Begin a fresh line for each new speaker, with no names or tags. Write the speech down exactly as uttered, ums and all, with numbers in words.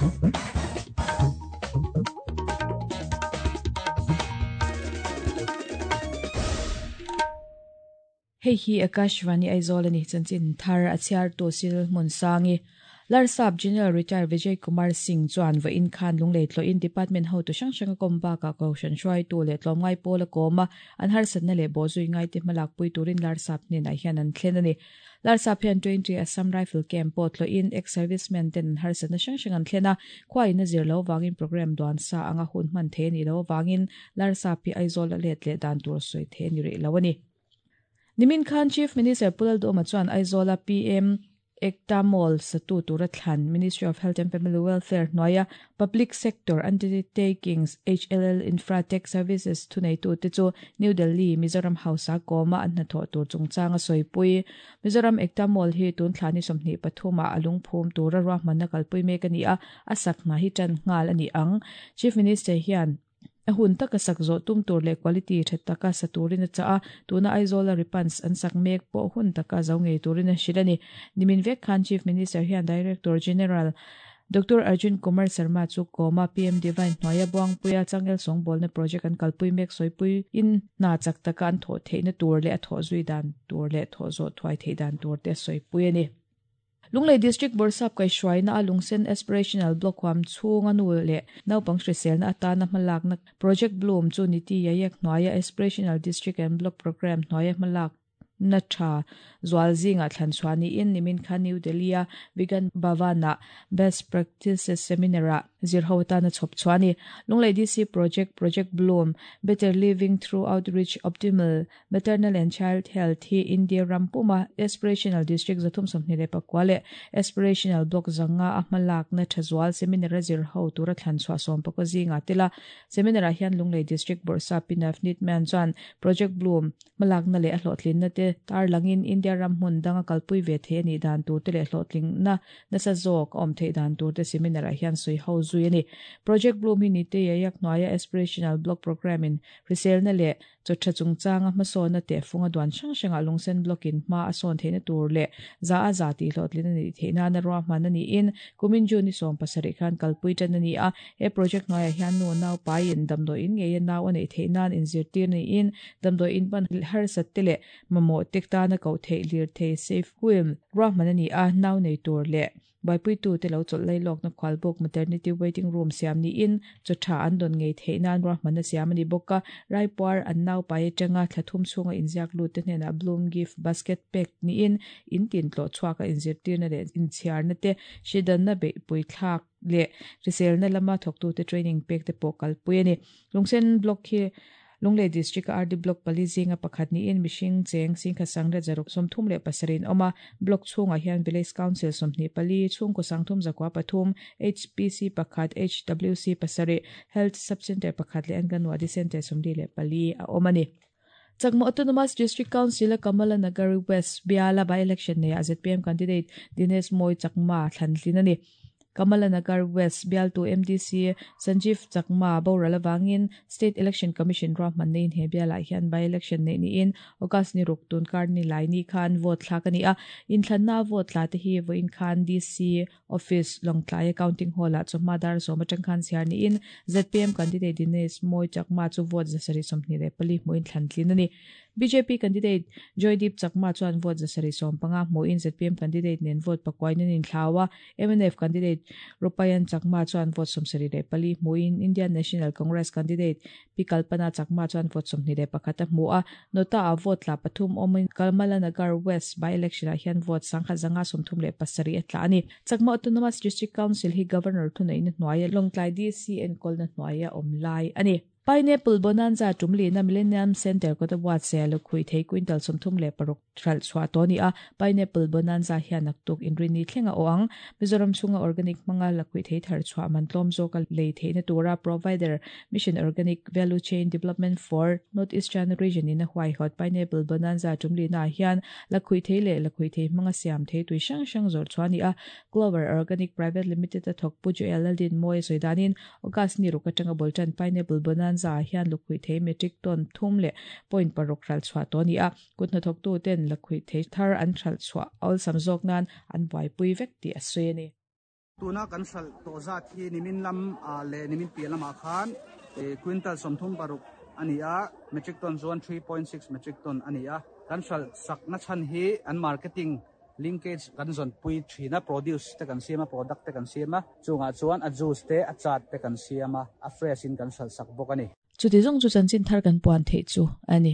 Hei hi Akashvani Aizawl ani chanchin thar a chhiar tu sil hmun sangi Larsap General Retired Vijay Kumar Singh chuan va in khan lunglei tlo in department ho tu hrang hrang a kawm bakah kohhran hruai tu leh tlawmngai pawl a kawm a an harsatna leh bawhzui ngai te hmalak pui turin Larsap hnenah hian an thlen a ni. Larsap hian twenty Assam Rifle Camp pawh tlo in ex-servicemen ten an harsatna hrang hrang an thlen a khua in a zir lo wangin program duan sa anga hun hman thei a ni lo wangin Larsap hi Aizawl a let leh dan tur sawi thei a ni rih lo a ni. Nimin Khan Chief Minister Pu Lalduhoma chuan Aizawl a P M Ekta Mall satu tura thlan Ministry of Health and Family Welfare hnuaia Public Sector Undertakings H L L Infratech Services thuneitu te chu New Delhi Mizoram House a kawma an hnathawh tur chungchang a sawipui. Mizoram Ekta Mall hi tun thlani sawmhnih pathuma a lungphum tura ruahmanna kalpui mek a ni a, a sak hna hi tan nghal a ni ang. Chief Minister hian a hun taka sak zawh tum tur leh quality tha taka sa turin a cha a, tuna Aizawl a ripans an sak mek pawh hun taka zo ngei turin a hrilh a ni. Nimin vek khan Chief Minister hian Director General Doctor Arjun Kumar Sharma chu kawma P M Divine hnuaia Buangpuia Changel Sawngbawlna project an kalpui mek sawipui in hna chak taka an thawh theihna tur leh a thawh zui dan tur leh thawh zawh thuai theih dan tur te sawipui a ni. Lunglei District Borsap kaihhruaina a Lungsen Aspirational Block huam chhunga nu leh naupang hriselna atana hmalakna Project Bloom chu niti Yayek hnuaia Aspirational District and Block Program hnuaia hmalak na tha zual zinga thlan chuani in nimin khan New Delhi a Vegan Bhavana Best Practices Seminar a zirho ta na chhop chuani Lunglei D C Project Project Bloom Better Living Through Outreach Optimal Maternal and Child Health hi India Rampuma Aspirational District zathum sawmhnih leh pakua leh Aspirational Block zanga a hmalak na tha zual seminar a zirho tura thlan chhuah sawm pakua zinga tela seminar ah hian Lunglei District Borsap Pinafnit Man chuan Project Bloom hmalak na leh a hlawhtlin na te tar langin India ram hmun danga kalpui ve the ani dan tur te leh hlawhtling na nasa zawk awm thei dan tur te seminar ah hian sawi ho zui ani. Project Bloom hi ni te yak hnuaia Aspirational Block Program in hriselna leh chawtha chungchanga hmasawna te funga duan hrang hranga Lungsen Block in hma a sawn theihna tur leh za a za tih hlawhtlin ani theihna na ruahman ani in kumin June ni sawm pasarih khan kalpui tan ani a. He project hnuaiah hian nu nau pai in damdawi in ngei a nau a neih theih nan inzirtir ni in damdawi in pan harsat te leh mamawh tek tana koh theih lir thei safe wheel ruahman ani a nau nei tur leh baipui tu te lo chawlh lai lawkna khwalbuk maternity waiting room siam ni in chawtha an dawn ngei theih nan ruahmanna siam ani bawk a raipuar an nau pai atanga thlathum chhunga inziak lut te hnenah bloom gift basket pack ni in in tin tlawh chhuak a inzirtirna leh inchhiarna te hridanna beihpui thlak leh hriselna lama thawktu te training pek te pawh kalpui ani. Lungsen Block hi Lunglei District R D Block pali zinga pakhat ni in mihring cheng singkha sangra zaruk sawmthum leh pasarin awm a block chhungah hian Village Council sawmhnih pali chhungkaw sangthum zakua pathum H P C pakhat H W C pasarih Health Sub-Center pakhat leh Anganwadi Center sawmli leh pali a awm a ni. Chakma Autonomous District Council a Kamala Nagar West Biala by-election nei a Z P M candidate Dinesh Moi Chakma thlantlin a ni. Kamala Nagar West Bialtu M D C Sanjeev Chakma Borala wangin State Election Commission ruahman nei in he bialah hian by-election nei ni in August ni ruk tun kar ni lai ni khan vote thlak ani a inthlanna vote tla te hi voin khan D C Office Lawngtlai Accounting Hall ah chawhma dar sawm atang khan chhiar ni in Z P M candidate Dinesh Moi Chakma chu vote zasarih sawmhnih leh pali hmuin thlantlin ani. B J P candidate Joydeep Chakma chuan vote zasarih sawm panga hmuin Z P M candidate nen vote pakuain an inthlawa M N F candidate Rupayan Chakma chuan vote sawmsarih leh pali hmuin Indian National Congress candidate P Kalpana Chakma chuan vote sawmhnih leh pakhat a hmu a nota a vote tla pathum awmin Kamala Nagar West by election ah hian vote sangkhat zanga sawmthum leh pasarih a tla ani. Chakma Autonomous District Council hi Governor thuneihna hnuaia Lawngtlai D C enkawlna hnuaia awm lai ani. Pineapple Bonanza tumli na Millennium Center kota buat se lo khui thei quintal sawmthum leh paruk thral chhuah tawh ani a Pineapple Bonanza hian naktuk inrini thlenga aw ang Mizoram chhunga organic hmanga la khui thei thar chhuah man tlawm zawk a lei theihna tura provider Mission Organic Value Chain Development for North Eastern Region in a huai hot Pineapple Bonanza tumli na hian la khui thei leh la khui thei hmanga siam thei tui hrang hrang zawr chhuah ani a Clover Organic Private Limited a thawk pu Joel Aldin Moi sawidanin August ni ruk atanga boltan Pineapple Bonanza za hian lukhui thei metric ton thum leh point paruk ral chhuah tawh ani a kut hnathawk tu ten lakhui thei thar an thral chhuah awlsam zawk nan an buaipui vek tih a sawi ani.
Tuna kan hralh tawh zat hi nimin lam leh nimin piah lamah khan quintal sawmthum paruk a ni a, metric ton chuan three point six metric ton a ni a. Kan hralh sakna chhan hi an marketing linkage kan zawnpui thin a, produce te kan siam a, product te kan siam a, chungah chuan a juice te a chaat te kan siam a, a fresh in kan hralh sak bawk a ni.
Chuti zawng chu chanchin thar kan puan theih chu a ni.